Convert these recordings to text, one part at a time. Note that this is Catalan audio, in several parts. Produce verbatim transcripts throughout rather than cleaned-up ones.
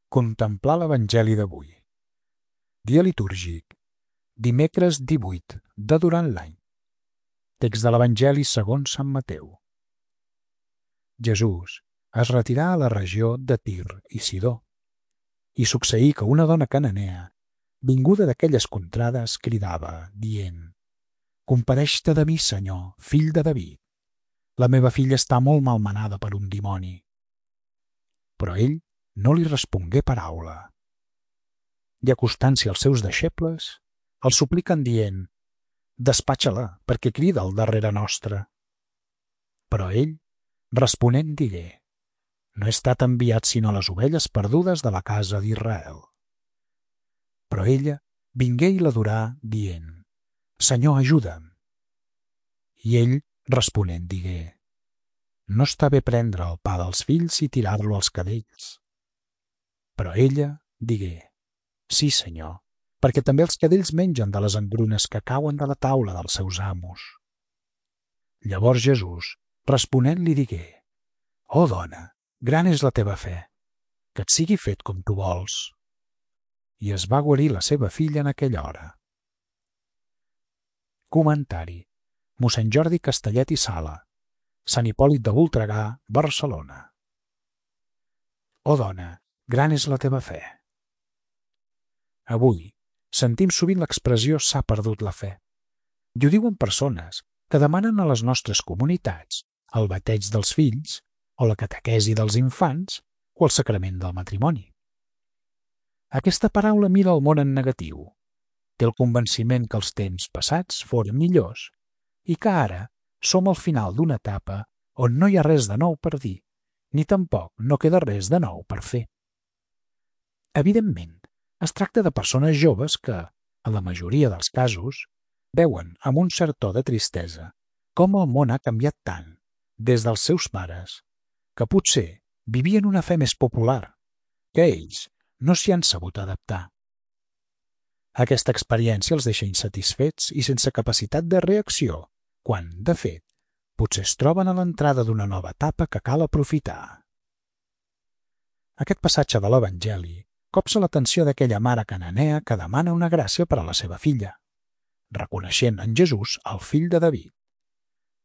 Contemplar l'Evangeli d'avui. Dia litúrgic, dimecres divuit de durant l'any. Text de l'Evangeli segons Sant Mateu. Jesús es retirà a la regió de Tir i Sidó, i succeí que una dona cananea, vinguda d'aquelles contrades, cridava, dient: «Compadeix-te de mi, Senyor, fill de David. La meva filla està molt malmenada per un dimoni». Però ell no li respongué paraula. I acostant-s'hi als seus deixebles, el supliquen dient: «Despatxa-la, perquè crida al darrere nostre». Però ell, responent, digué: «No he estat enviat sinó a les ovelles perdudes de la casa d'Israel». Però ella vingué i l'adorà, dient: «Senyor, ajuda'm». I ell, responent, digué: «No està bé prendre el pa dels fills i tirar-lo als cadells». Però ella digué: «Sí, Senyor, perquè també els cadells mengen de les engrunes que cauen de la taula dels seus amos». Llavors Jesús, responent, li digué: «Oh, dona, gran és la teva fe, que et sigui fet com tu vols». I es va guarir la seva filla en aquella hora. Comentari: mossèn Jordi Castellet i Sala, Sant Hipòlit de Voltregà, Barcelona. Oh, dona, gran és la teva fe. Avui sentim sovint l'expressió «s'ha perdut la fe». I ho diuen persones que demanen a les nostres comunitats el bateig dels fills o la catequesi dels infants o el sacrament del matrimoni. Aquesta paraula mira el món en negatiu. Té el convenciment que els temps passats foren millors i que ara som al final d'una etapa on no hi ha res de nou per dir, ni tampoc no queda res de nou per fer. Evidentment, es tracta de persones joves que, en la majoria dels casos, veuen amb un cert to de tristesa com el món ha canviat tant des dels seus pares, que potser vivien una fe més popular, que ells no s'hi han sabut adaptar. Aquesta experiència els deixa insatisfets i sense capacitat de reacció, quan, de fet, potser es troben a l'entrada d'una nova etapa que cal aprofitar. Aquest passatge de l'Evangeli copsa l'atenció d'aquella mare cananea que demana una gràcia per a la seva filla, reconeixent en Jesús el fill de David.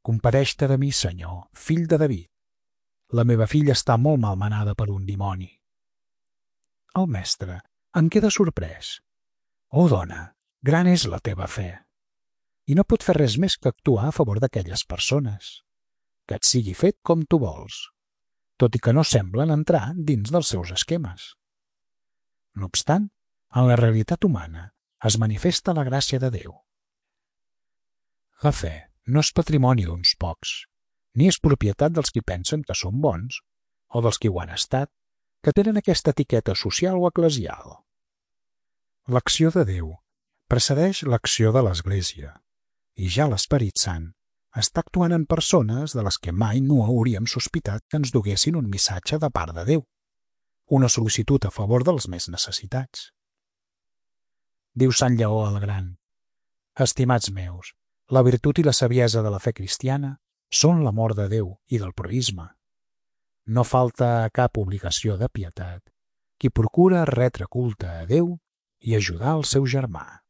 «Compadeix-te de mi, Senyor, fill de David. La meva filla està molt malmenada per un dimoni». El mestre en queda sorprès. «Oh, dona, gran és la teva fe». I no pot fer res més que actuar a favor d'aquelles persones. Que et sigui fet com tu vols, tot i que no semblen entrar dins dels seus esquemes. No obstant, en la realitat humana es manifesta la gràcia de Déu. La fe no és patrimoni d'uns pocs, ni és propietat dels qui pensen que són bons o dels qui ho han estat, que tenen aquesta etiqueta social o eclesial. L'acció de Déu precedeix l'acció de l'Església, i ja l'Esperit Sant està actuant en persones de les que mai no hauríem sospitat que ens duguessin un missatge de part de Déu, una sol·licitud a favor dels més necessitats. Diu Sant Lleó el Gran: «Estimats meus, la virtut i la saviesa de la fe cristiana són l'amor de Déu i del proïsme. No falta a cap obligació de pietat qui procura retre culte a Déu i ajudar el seu germà».